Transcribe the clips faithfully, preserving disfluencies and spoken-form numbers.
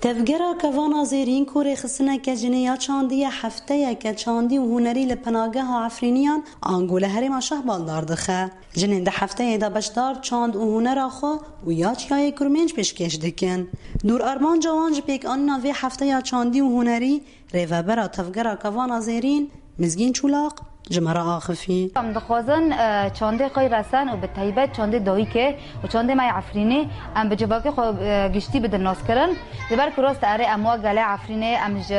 Tevgera Kevana Zêrîn ku rêxistineke jinê ya çandî ye, hefteyeke çandî û hunerî li penageha Efrîniyan ango li herêma Şehbal dar dixe. Jinên di hefteyê de beşdar çand û hunera xwe û ya Çiyayê Kurmênc pêşkêş dikin. Dûr armanca wan ji pêkanîna vê hefteya çandî û hunerî, rêvebera Tevgera Kevana Zêrîn, Mizgîn Çûlaq, ji me re axifî. Em dixwazin, e, çandê xwe resen û bi taybet çandê dayikê û çandê me yê Efrînî em bi civakê xwe, e, giştî bidin naskirin. Ji ber ku rast erê em wa gelê Efrînê, em ji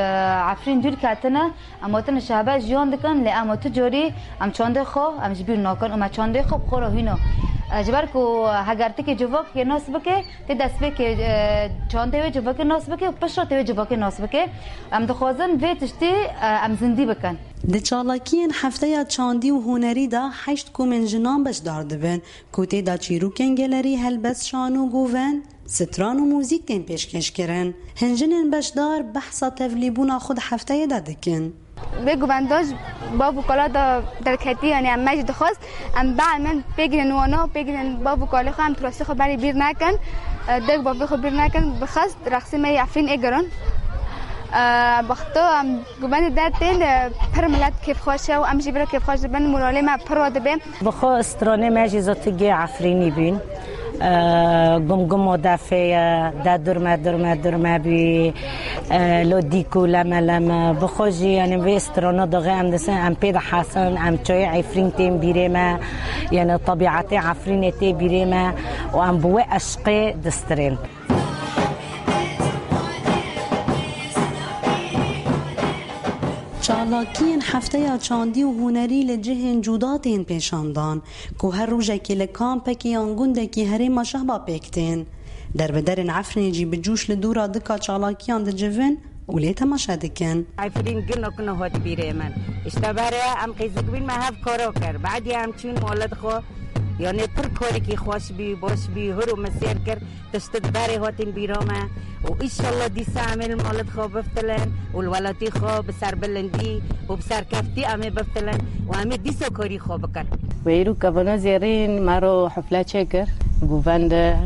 Efrîn dûr ketine, em hatine Şehbal jiyan dikin, lê em tu carî em çandê xwe em ji bîr nakin û me çandê xwe bi xwe re hîna. E, ji ber ku heger tikê civakê nas bike, tê destpêkê, e, çandê wê civakê nas bike û piştre tê wê civakê nas bike. Em dixwazin vê tiştî, e, em zindî bikin. Di çalakiyên hefteya çandî û hunerî de heşt komên jinan beşdar dibin, ku tê de çîrokên gelerî, helbest, şano, govend, stran û muzîk tên pêşkêşkirin. Hin jinên beşdar behsa tevlîbûna xwe di hefteyê de dikin. Vê govenda ji bav û kala de derketî, yanî em me jî dixwest, em bielmin, pêgînin wana, pêgînin bav û kalê xwe, em turasî xwe berî bîr nekin, e, dek bavê xwe bîr nekin, bixwest rexsê me yê Efrîn ê girin. E, bexto em Govendê dertên, e, pir milet kêfxweş e û em jî vira kêfxweş dibin, moralê me pir wa dibe. Bi xwe stranê me jî zotigê Efrînî bîn. E, gum gum o defê ye, de durme durme durme bî, e, lo dîk û leme leme. Bi xwe jî, yanî vê strana daxê em disin, em pê dihesin, em çayê Efrîn tên bîrê me, yanî tebîetê Efrînê tê bîrê me û em bi wê eşqê distirên. Çalakiyên hefteya çandî û hunerî li cihên cuda tên pêşandan, ku her rojekê li kampekî yan gundekî herêma Şehba pêk tên. Derbiderên Efrînê jî bi cûş li dûra dika çalakiyan dicivin û lê temaşe dikin. Efrîn gino gino hat bîrê min. Îşte berê em qîzik bîn me hev karo kir. Badî em çûn molet xwe. Yanê pir karekî xweş bî, baş bî, hur û min sêr kir. Tişt di berê hatin bîra me û înşallah dîsa em ê li malê xwe biftilin û li welatî xwe bi serbilindî û bi serkeftî em ê biftilin û em ê dîsa karî xwe bikin. Wê îro kevana zêrîn me ro hefle çêkir. Govende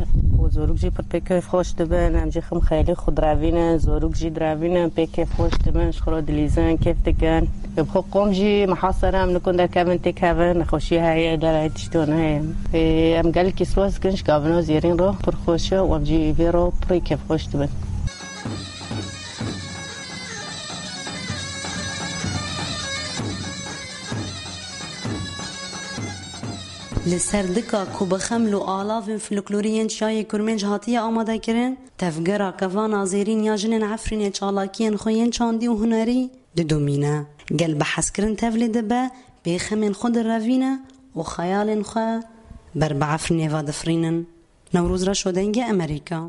û zorûk jî pir pê kêf xweş dibin. Em jî xim xeyalê xwe direvînin, zorûk jî direvînin, pê kêf xweş dibin, ji xwe re dilîzin, kêf dikin. Bi xwe qom jî mihasere em nikun derkevin têkevin, nexweşî heye, derayê tiştan heye. Ê, em gelekî spas dikin ji kevana zêrîn re, pir xweş e û em jî vê re pirî kêfxweş dibin. Li ser dika ku bi xeml û alavên folklorî yên Çiyayê Kurmênc hatiye amadekirin, tevgera kevana zêrîn ya jinên Efrînê çalakiyên xwe yên çandî û hunerî didomîne. Gel bi hezkirin tevlê dibe, pê xemên xwe direvîne û xeyalên xwe ber bi Efrînê ve difirînin. Newroz Reşo, Dengê Amerîka.